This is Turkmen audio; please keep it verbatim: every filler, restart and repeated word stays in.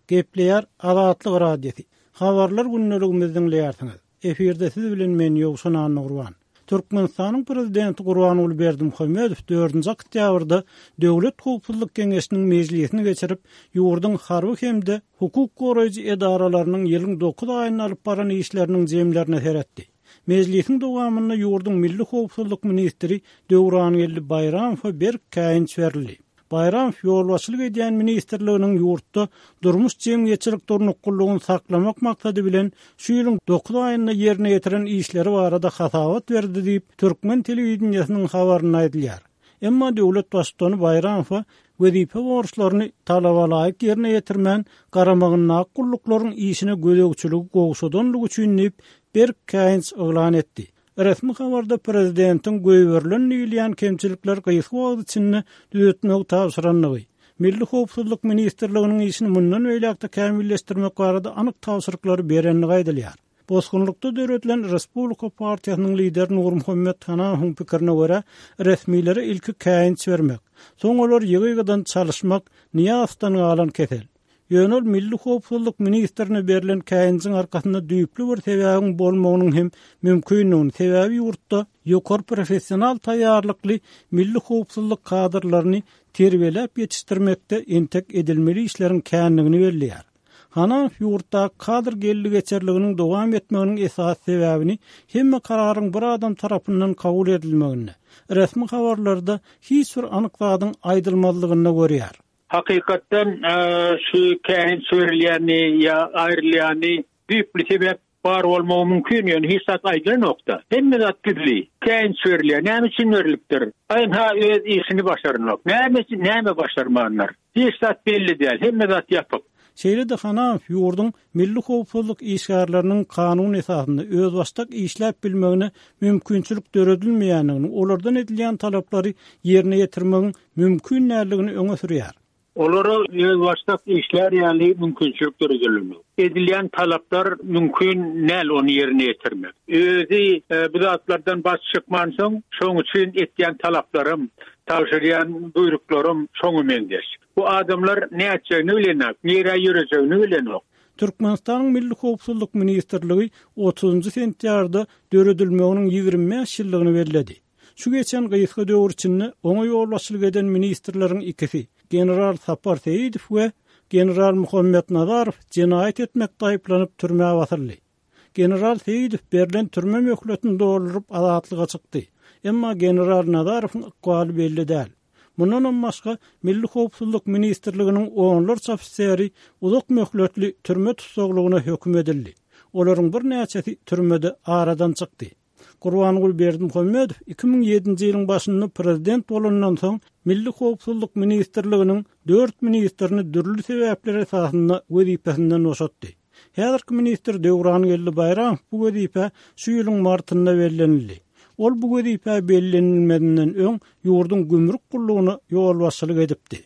Gepleýär Azatlyk Radiosy. Habarlar gündeligimizi diňleýärsiňiz. Efirde siz bilen men Ýowşan Annagurban. Türkmenistanyň prezidenti Gurbanguly Berdimuhamedow dördünji oktýabrda Döwlet howpsuzlyk geňeşiniň mejlisini geçirip, ýurduň harby hem-de hukuk goraýjy edaralarynyň ýylyň dokuz aýynda alyp baran işleriniň jemlerine seretdi. Mejlisiň dowamynda ýurduň milli howpsuzlyk ministri Döwrangeldi Baýramowa berk käýinç berildi. Baýramow ýolbaşçylyk edýän ministrliginiň ýurtda durmuş jemgyýetçilik durnuklylygyny saklamak maksady bilen şu ýylyň dokuz aýynda ýerine ýetiren işleri barada hasabat berdi diýip, türkmen telewideniýesiniň habarynda aýdylýar. Emma döwlet baştutany Baýramowa wezipe borçlaryny talaba laýyk ýerine ýetirmän, garamagyndaky gulluklaryň işine gözegçiligi gowşadanlygy üçin diýip, berk käýinç yglan etdi. Resmi habarda prezidentiň goýberilen diýilýän kemçilikler gysga wagt içinde düzetmegi tabşyrandygy, Milli howpsuzlyk ministrliginiň işini mundan beýläk-de kämilleşdirmek barada anyk tabşyryklary berendigi aýdylýar. Bosgunlykda döredilen Respublika partiýasynyň lideri Nurmuhammet Hanamowyň pikirine görä, resmilere ilki käýinç bermek, soň olar ýygy-ýygydan çalyşmak Nyýazowdan galan kesel. Ýöne ol Milli howpsuzlyk ministrine berlen käýinjiň arkasynda düýpli bir sebäbiň bolmagynyň hem mümkindigini, sebäbi ýurtda ýokary professional taýýarlykly milli howpsuzlyk kadrlaryny terbiýeläp ýetişdirmekde entek edilmeli işleriň kändigini belleýär. Hanamow ýurtda kadr geldi-geçerliginiň dowam etmeginiň esasy sebäbini hemme kararyň bir adam tarapyndan kabul edilmeginde, resmi habarlarda hiç bir anyk zadyň aýdylmazlygynda görýär. Hakykatdan, şu käýinç berilýäni ýa aýrylýany düýpli sebäp bar bolmagy mümkin, ýöne hiç zat aýdylanokda. Hemme zat gizli. Käýinç berilýär. Näme üçin berilipdir? Ynha öz işini başaranok. Näme üçin, näme başarmandyr? Hiç zat belli däl. Hemme zat ýapyk. Şeýle-de Hanamow ýurduň milli howpsuzlyk işgärleriniň kanun esasynda özbaşdak işläp bilmegine mümkinçilik döredilmeýändigini, olardan edilýän talaplary ýerine ýetirmegiň mümkin däldigini öňe sürýär. Olara özbaşdak işlär ýaly mümkinçilik döredilenok. Edilýän talaplar mümkin däl ony ýerine ýetirmek. Özi, e, bu zatlardan baş çykmansoň, şoň üçin etýän talaplarym, tabşyrýan buýruklarym şoňa meňzeş. Bu adamlar nätjegini bilenok, nirä ýörejegini bilenok. Türkmenistanyň Milli howpsuzlyk ministrligi otuzynjy sentýabrda döredilmeginiň ýigrimi bäş ýyllygyny belledi. Şu geçen gysga döwür içinde oňa ýolbaşçylyk eden ministrleriň ikisi, general Sapar Seýidow we general Muhammet Nazarow jenaýat etmekde aýyplanyp türmä basyldy. General Seýidow berlen türme möhletini dolduryp azatlyga çykdy. Emma general Nazarowyň ykbaly belli däl. Mundan başga Milli howpsuzlyk ministrliginiň onlarça ofiseri uzak möhletli türme tussaglygyna höküm edildi. Olaryň birnäçesi türmede aradan çykdy. Gurbanguly Berdimuhamedow iki müň ýedinji ýylyň başynda prezident bolandan soň Milli howpsuzlyk ministrliginiň dört ministrini dürli sebäpler esasynda wezipesinden boşatdy. Häzirki ministr Döwrangeldi Baýramow bu wezipe şu ýylyň martynda bellenildi. Ol bu wezipe bellenilmezinden öň ýurduň gümrük gullugyna ýolbaşçylyk edipdi.